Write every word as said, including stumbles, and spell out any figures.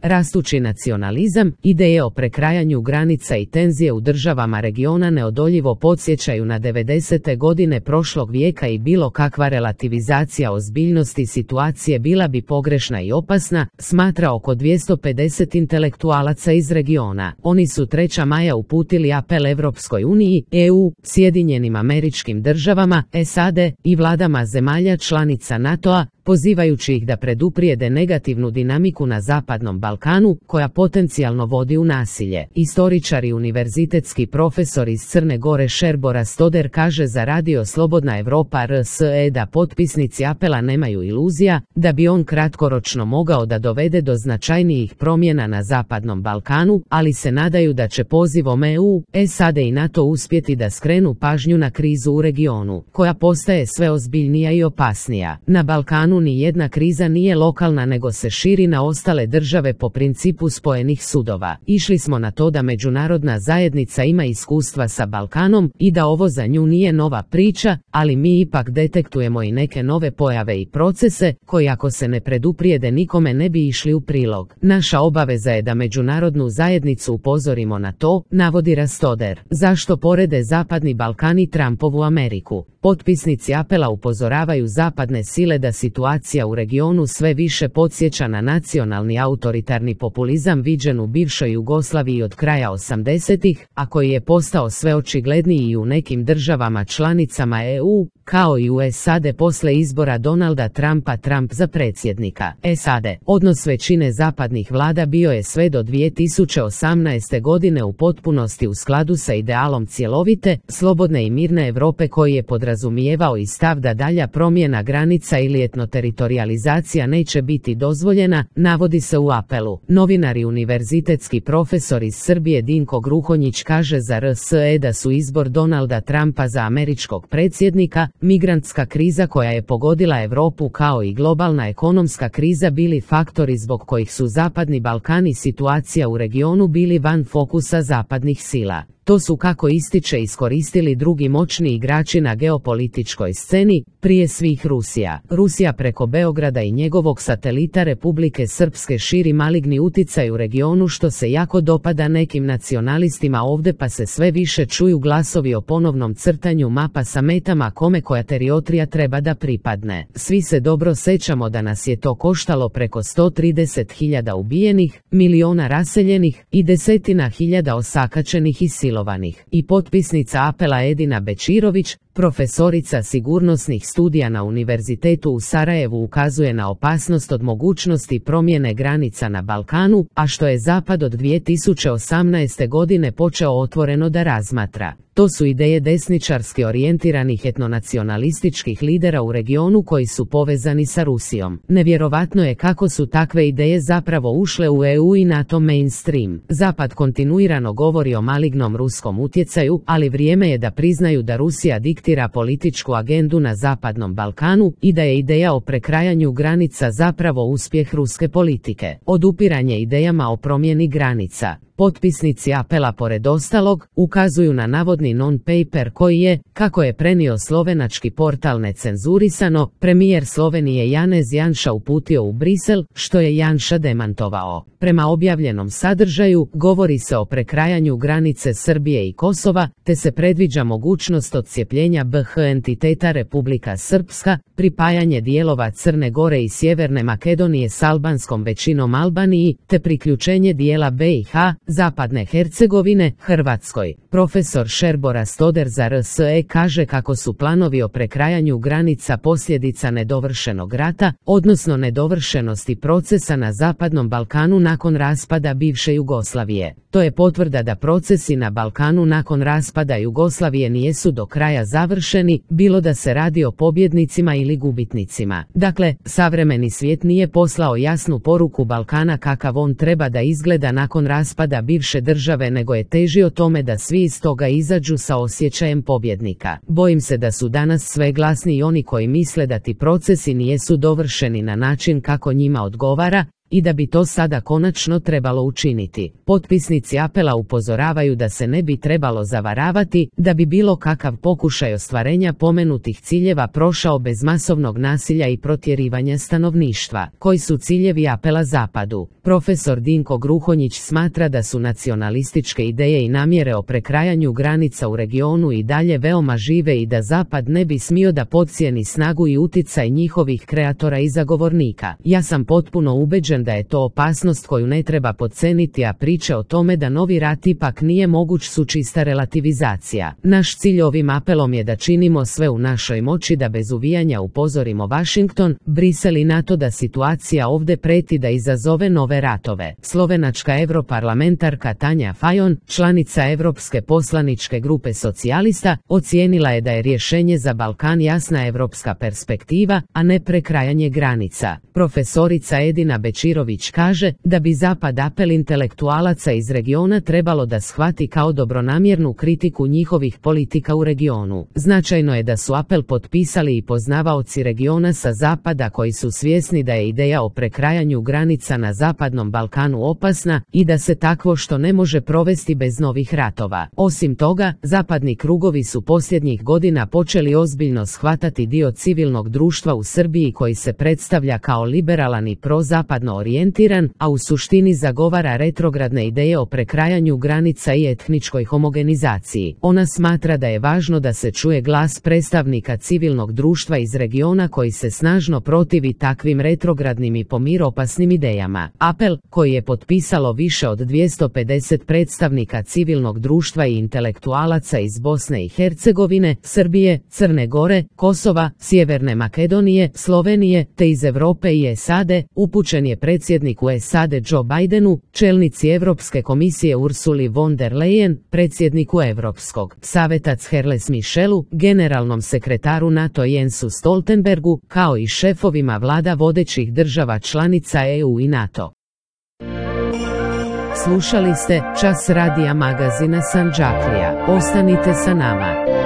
Rastući nacionalizam, ideje o prekrajanju granica i tenzije u državama regiona neodoljivo podsjećaju na devedesete godine prošlog vijeka i bilo kakva relativizacija ozbiljnosti situacije bila bi pogrešna i opasna, smatra oko dvjesto pedeset intelektualaca iz regiona. Oni su trećeg maja uputili apel Europskoj uniji, E U, Sjedinjenim Američkim Državama, S A D i vladama zemalja članica NATO-a, pozivajući ih da preduprijede negativnu dinamiku na Zapadnom Balkanu, koja potencijalno vodi u nasilje. Istoričar i univerzitetski profesor iz Crne Gore Šerbo Rastoder kaže za radio Slobodna Evropa R S E da potpisnici apela nemaju iluzija, da bi on kratkoročno mogao da dovede do značajnijih promjena na Zapadnom Balkanu, ali se nadaju da će pozivom E U, S A D i NATO uspjeti da skrenu pažnju na krizu u regionu, koja postaje sve ozbiljnija i opasnija. Na Balkanu ni jedna kriza nije lokalna nego se širi na ostale države po principu spojenih sudova. Išli smo na to da međunarodna zajednica ima iskustva sa Balkanom i da ovo za nju nije nova priča, ali mi ipak detektujemo i neke nove pojave i procese, koji ako se ne preduprijede nikome ne bi išli u prilog. Naša obaveza je da međunarodnu zajednicu upozorimo na to, navodi Rastoder. Zašto porede Zapadni Balkan i Trumpovu Ameriku? Potpisnici apela upozoravaju zapadne sile da situacija u regionu sve više podsjeća na nacionalni autoritarni populizam viđen u bivšoj Jugoslaviji od kraja osamdesetih, a koji je postao sve očigledniji i u nekim državama članicama E U, kao i u S A D posle izbora Donalda Trumpa Trump za predsjednika S A D. Odnos većine zapadnih vlada bio je sve do dvije tisuće osamnaeste godine u potpunosti u skladu sa idealom cjelovite, slobodne i mirne Europe koji je podrazumijevao i stav da dalja promjena granica ili etnoteritorializacija neće biti dozvoljena, navodi se u apelu. Novinar i univerzitetski profesor iz Srbije Dinko Gruhonjić kaže za R S E da su izbor Donalda Trumpa za američkog predsjednika, migrantska kriza koja je pogodila Europu kao i globalna ekonomska kriza bili faktori zbog kojih su Zapadni Balkan i situacija u regionu bili van fokusa zapadnih sila. To su, kako ističe, iskoristili drugi moćni igrači na geopolitičkoj sceni, prije svih Rusija. Rusija preko Beograda i njegovog satelita Republike Srpske širi maligni uticaj u regionu što se jako dopada nekim nacionalistima ovdje, pa se sve više čuju glasovi o ponovnom crtanju mapa sa metama kome koja teritorija treba da pripadne. Svi se dobro sećamo da nas je to koštalo preko sto trideset hiljada ubijenih, miliona raseljenih i desetina hiljada osakačenih i silovanih. I potpisnica apela Edina Bečirović, profesorica sigurnosnih studija na Univerzitetu u Sarajevu, ukazuje na opasnost od mogućnosti promjene granica na Balkanu, a što je Zapad od dvije tisuće osamnaeste godine počeo otvoreno da razmatra. To su ideje desničarski orijentiranih etnonacionalističkih lidera u regionu koji su povezani sa Rusijom. Nevjerovatno je kako su takve ideje zapravo ušle u E U i NATO mainstream. Zapad kontinuirano govori o malignom ruskom utjecaju, ali vrijeme je da priznaju da Rusija diktira političku agendu na Zapadnom Balkanu i da je ideja o prekrajanju granica zapravo uspjeh ruske politike. Odupiranje idejama o promjeni granica. Potpisnici apela pored ostalog ukazuju na navodni non-paper koji je, kako je prenio slovenački portal Necenzurisano, premijer Slovenije Janez Janša uputio u Brisel, što je Janša demantovao. Prema objavljenom sadržaju, govori se o prekrajanju granice Srbije i Kosova, te se predviđa mogućnost odcijepljenja B H entiteta Republika Srpska, pripajanje dijelova Crne Gore i Sjeverne Makedonije s albanskom većinom Albaniji, te priključenje dijela B i H, Zapadne Hercegovine, Hrvatskoj. Profesor Šerbo Rastoder za R S E kaže kako su planovi o prekrajanju granica posljedica nedovršenog rata, odnosno nedovršenosti procesa na Zapadnom Balkanu nakon raspada bivše Jugoslavije. To je potvrda da procesi na Balkanu nakon raspada Jugoslavije nijesu do kraja završeni, bilo da se radi o pobjednicima ili gubitnicima. Dakle, savremeni svijet nije poslao jasnu poruku Balkana kakav on treba da izgleda nakon raspada bivše države, nego je težio tome da svi iz toga izađu sa osjećajem pobjednika. Bojim se da su danas sve glasniji oni koji misle da ti procesi nijesu dovršeni na način kako njima odgovara, i da bi to sada konačno trebalo učiniti. Potpisnici apela upozoravaju da se ne bi trebalo zavaravati, da bi bilo kakav pokušaj ostvarenja pomenutih ciljeva prošao bez masovnog nasilja i protjerivanja stanovništva. Koji su ciljevi apela Zapadu? Profesor Dinko Gruhonjić smatra da su nacionalističke ideje i namjere o prekrajanju granica u regionu i dalje veoma žive i da Zapad ne bi smio da podcijeni snagu i uticaj njihovih kreatora i zagovornika. Ja sam potpuno ubeđen da je to opasnost koju ne treba podceniti, a priče o tome da novi rat ipak nije moguć su čista relativizacija. Naš cilj ovim apelom je da činimo sve u našoj moći da bez uvijanja upozorimo Washington, Brisel i NATO da situacija ovdje preti da izazove nove ratove. Slovenačka europarlamentarka Tanja Fajon, članica Europske poslaničke grupe socijalista, ocijenila je da je rješenje za Balkan jasna evropska perspektiva, a ne prekrajanje granica. Profesorica Edina Bečirović kaže da bi Zapad apel intelektualaca iz regiona trebalo da shvati kao dobronamjernu kritiku njihovih politika u regionu. Značajno je da su apel potpisali i poznavaoci regiona sa Zapada koji su svjesni da je ideja o prekrajanju granica na Zapadnom Balkanu opasna i da se takvo što ne može provesti bez novih ratova. Osim toga, zapadni krugovi su posljednjih godina počeli ozbiljno shvatati dio civilnog društva u Srbiji koji se predstavlja kao liberalan i prozapadno orijentiran, a u suštini zagovara retrogradne ideje o prekrajanju granica i etničkoj homogenizaciji. Ona smatra da je važno da se čuje glas predstavnika civilnog društva iz regiona koji se snažno protivi takvim retrogradnim i pomiropasnim idejama. Apel, koji je potpisalo više od dvjesto pedeset predstavnika civilnog društva i intelektualaca iz Bosne i Hercegovine, Srbije, Crne Gore, Kosova, Sjeverne Makedonije, Slovenije, te iz Europe i S A D, upućen je predsjedniku S A D Joe Bidenu, čelnici Europske komisije Ursuli von der Leyen, predsjedniku Europskog saveta Charles Michelu, generalnom sekretaru NATO Jensu Stoltenbergu, kao i šefovima vlada vodećih država članica E U i NATO. Slušali ste Čas radija magazina Sandžaklija. Ostanite sa nama.